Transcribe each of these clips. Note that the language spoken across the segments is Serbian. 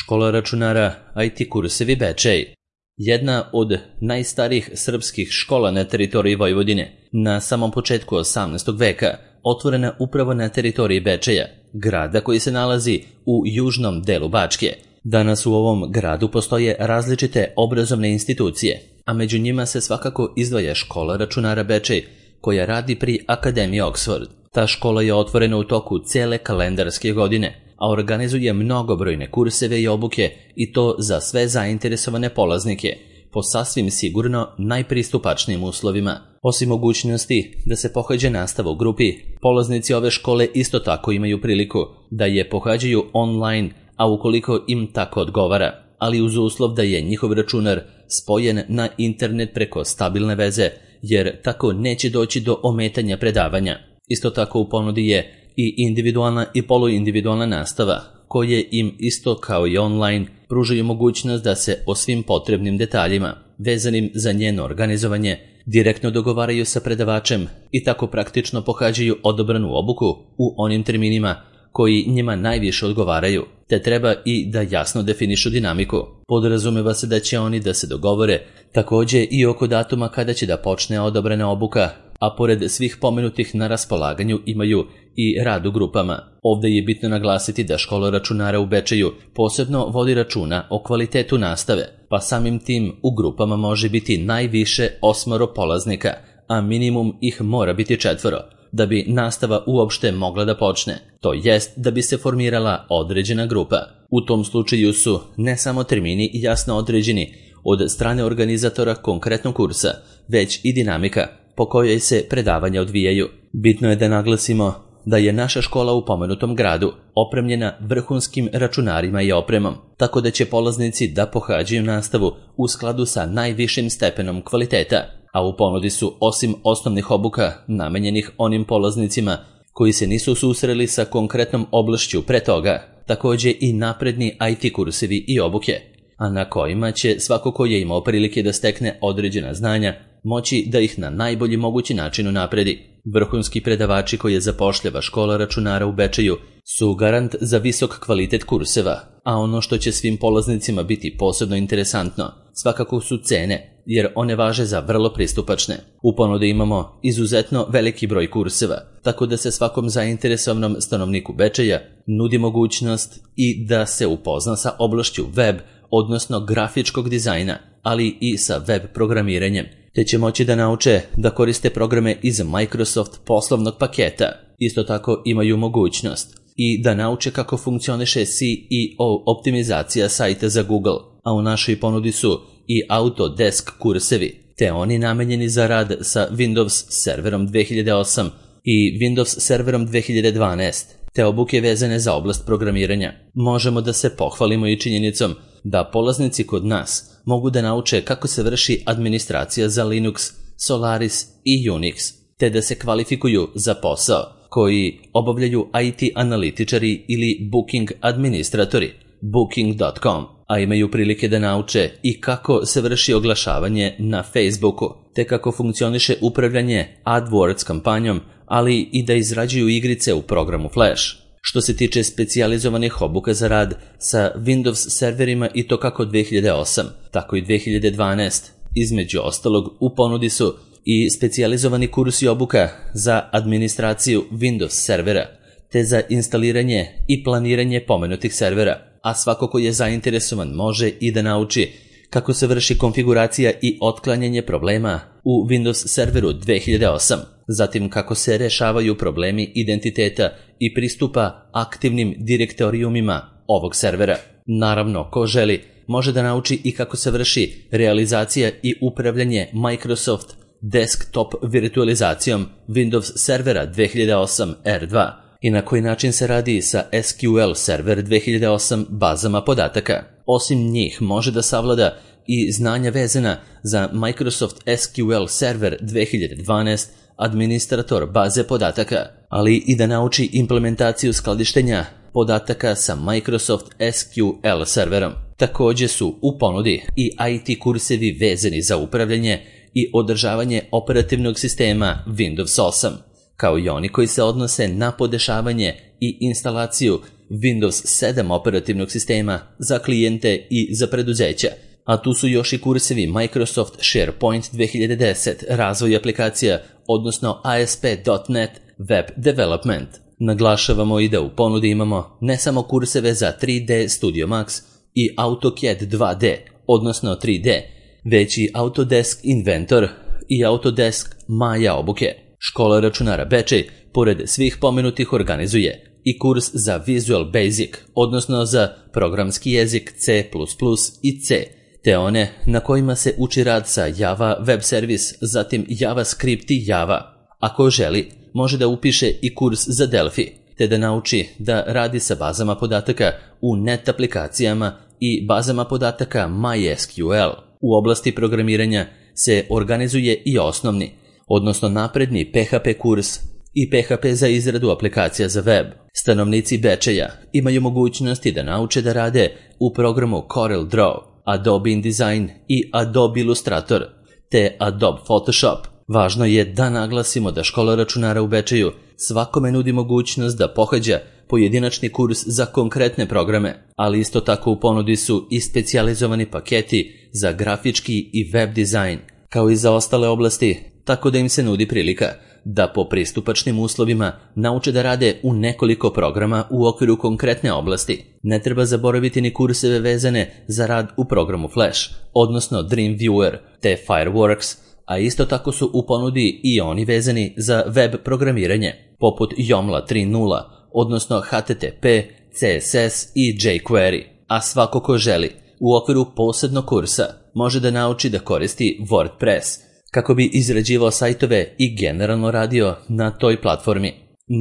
Škola računara IT kursevi Bečej. Jedna od najstarijih srpskih škola na teritoriji Vojvodine, na samom početku 18. veka, otvorena upravo na teritoriji Bečeja, grada koji se nalazi u južnom delu Bačke. Danas u ovom gradu postoje različite obrazovne institucije, a među njima se svakako izdvaja škola računara Bečej, koja radi pri Akademiji Oxford. Ta škola je otvorena u toku cele kalendarske godine, a organizuje mnogobrojne kurseve i obuke, i to za sve zainteresovane polaznike, po sasvim sigurno najpristupačnijim uslovima. Osim mogućnosti da se pohađa nastava u grupi, polaznici ove škole isto tako imaju priliku da je pohađaju online, a ukoliko im tako odgovara, ali uz uslov da je njihov računar spojen na internet preko stabilne veze, jer tako neće doći do ometanja predavanja. Isto tako u ponudi je i individualna i poluindividualna nastava, koje im isto kao i online pružaju mogućnost da se o svim potrebnim detaljima, vezanim za njeno organizovanje, direktno dogovaraju sa predavačem i tako praktično pohađaju odobranu obuku u onim terminima koji njima najviše odgovaraju, te treba i da jasno definišu dinamiku. Podrazumeva se da će oni da se dogovore također i oko datuma kada će da počne odobrana obuka, a pored svih pomenutih na raspolaganju imaju i rad u grupama. Ovdje je bitno naglasiti da škola računara u Bečeju posebno vodi računa o kvalitetu nastave, pa samim tim u grupama može biti najviše 8 polaznika, a minimum ih mora biti 4, da bi nastava uopšte mogla da počne, to jest da bi se formirala određena grupa. U tom slučaju su ne samo termini jasno određeni od strane organizatora konkretnog kursa, već i dinamika po kojoj se predavanja odvijaju. Bitno je da naglasimo da je naša škola u pomenutom gradu opremljena vrhunskim računarima i opremom, tako da će polaznici da pohađaju nastavu u skladu sa najvišim stepenom kvaliteta, a u ponudi su osim osnovnih obuka namenjenih onim polaznicima koji se nisu susreli sa konkretnom oblašću pre toga, također i napredni IT kursevi i obuke, a na kojima će svako ko je imao prilike da stekne određena znanja moći da ih na najbolji mogući način unapredi. Vrhunski predavači koje zapošljava škola računara u Bečeju su garant za visok kvalitet kurseva, a ono što će svim polaznicima biti posebno interesantno svakako su cene, jer one važe za vrlo pristupačne. U ponudi imamo izuzetno veliki broj kurseva, tako da se svakom zainteresovanom stanovniku Bečeja nudi mogućnost i da se upozna sa oblašću web, odnosno grafičkog dizajna, ali i sa web programiranjem, te će moći da nauče da koriste programe iz Microsoft poslovnog paketa. Isto tako imaju mogućnost i da nauče kako funkcioniše SEO optimizacija sajta za Google, a u našoj ponudi su i Autodesk kursevi, te oni namenjeni za rad sa Windows serverom 2008 i Windows serverom 2012, te obuke vezane za oblast programiranja. Možemo da se pohvalimo i činjenicom da polaznici kod nas mogu da nauče kako se vrši administracija za Linux, Solaris i Unix, te da se kvalifikuju za posao koji obavljaju IT analitičari ili booking administratori, booking.com, a imaju prilike da nauče i kako se vrši oglašavanje na Facebooku, te kako funkcioniše upravljanje AdWords kampanjom, ali i da izrađuju igrice u programu Flash. Što se tiče specijalizovanih obuka za rad sa Windows serverima i to kako 2008, tako i 2012, između ostalog u ponudi su i specijalizovani kursi obuka za administraciju Windows servera, te za instaliranje i planiranje pomenutih servera, a svako ko je zainteresovan može i da nauči kako se vrši konfiguracija i otklanjanje problema u Windows serveru 2008, zatim kako se rešavaju problemi identiteta i pristupa aktivnim direktorijumima ovog servera. Naravno, ko želi, može da nauči i kako se vrši realizacija i upravljanje Microsoft desktop virtualizacijom Windows servera 2008 R2 i na koji način se radi sa SQL server 2008 bazama podataka. Osim njih može da savlada i znanja vezana za Microsoft SQL server 2012 administrator baze podataka, ali i da nauči implementaciju skladištenja podataka sa Microsoft SQL serverom. Također su u ponudi i IT kursevi vezani za upravljanje i održavanje operativnog sistema Windows 8, kao i oni koji se odnose na podešavanje i instalaciju Windows 7 operativnog sistema za klijente i za preduzeća. A tu su još i kursevi Microsoft SharePoint 2010, razvoj aplikacija, odnosno ASP.NET Web Development. Naglašavamo i da u ponudi imamo ne samo kurseve za 3D Studio Max i AutoCAD 2D, odnosno 3D, već i Autodesk Inventor i Autodesk Maya obuke. Škola računara Bečej, pored svih pomenutih, organizuje i kurs za Visual Basic, odnosno za programski jezik C++ i C, te one na kojima se uči rad sa Java Web Service, zatim JavaScript i Java. Ako želi, može da upiše i kurs za Delphi, te da nauči da radi sa bazama podataka u net aplikacijama i bazama podataka MySQL. U oblasti programiranja se organizuje i osnovni, odnosno napredni PHP kurs i PHP za izradu aplikacija za web. Stanovnici Bečeja imaju mogućnosti da nauče da rade u programu CorelDRAW, Adobe InDesign i Adobe Illustrator, te Adobe Photoshop. Važno je da naglasimo da škola računara u Bečeju svakome nudi mogućnost da pohađa pojedinačni kurs za konkretne programe, ali isto tako u ponudi su i specijalizovani paketi za grafički i web dizajn, kao i za ostale oblasti, tako da im se nudi prilika da po pristupačnim uslovima nauče da rade u nekoliko programa u okviru konkretne oblasti. Ne treba zaboraviti ni kurseve vezane za rad u programu Flash, odnosno Dreamweaver te Fireworks, a isto tako su u ponudi i oni vezani za web programiranje, poput Joomla 3.0, odnosno HTTP, CSS i jQuery. A svako ko želi, u okviru posebnog kursa može da nauči da koristi WordPress, kako bi izrađivao sajtove i generalno radio na toj platformi.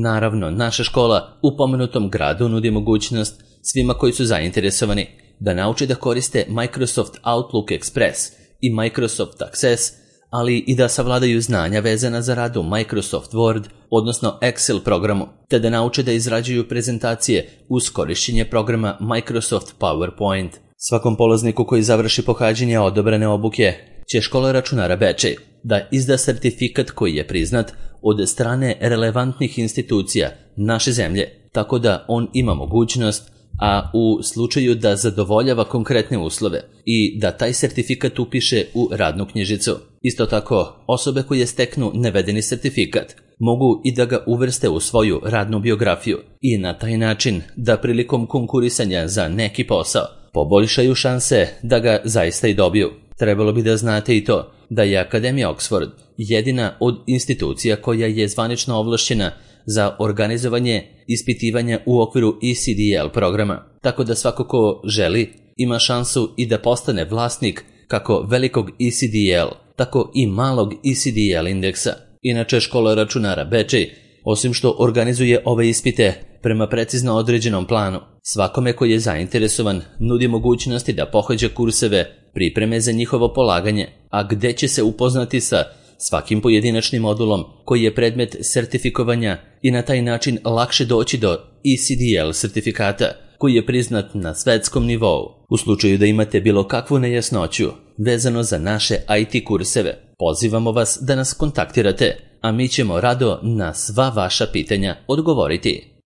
Naravno, naša škola u pomenutom gradu nudi mogućnost svima koji su zainteresovani da nauče da koriste Microsoft Outlook Express i Microsoft Access, ali i da savladaju znanja vezana za rad u Microsoft Word, odnosno Excel programu, te da nauče da izrađuju prezentacije uz korišćenje programa Microsoft PowerPoint. Svakom polazniku koji završi pohađanje odobrene obuke će škola računara Bečej da izda sertifikat koji je priznat od strane relevantnih institucija naše zemlje, tako da on ima mogućnost, a u slučaju da zadovoljava konkretne uslove, i da taj sertifikat upiše u radnu knjižicu. Isto tako, osobe koje steknu navedeni sertifikat mogu i da ga uvrste u svoju radnu biografiju i na taj način da prilikom konkurisanja za neki posao poboljšaju šanse da ga zaista i dobiju. Trebalo bi da znate i to da je Akademija Oxford jedina od institucija koja je zvanično ovlašćena za organizovanje ispitivanja u okviru ECDL programa, tako da svako ko želi ima šansu i da postane vlasnik kako velikog ECDL, tako i malog ECDL indeksa. Inače, škola računara Bečej, osim što organizuje ove ispite prema precizno određenom planu, svakome koji je zainteresovan nudi mogućnosti da pohađa kurseve pripreme za njihovo polaganje, a gde će se upoznati sa svakim pojedinačnim modulom koji je predmet sertifikovanja i na taj način lakše doći do ECDL sertifikata koji je priznat na svetskom nivou. U slučaju da imate bilo kakvu nejasnoću vezano za naše IT kurseve, pozivamo vas da nas kontaktirate, a mi ćemo rado na sva vaša pitanja odgovoriti.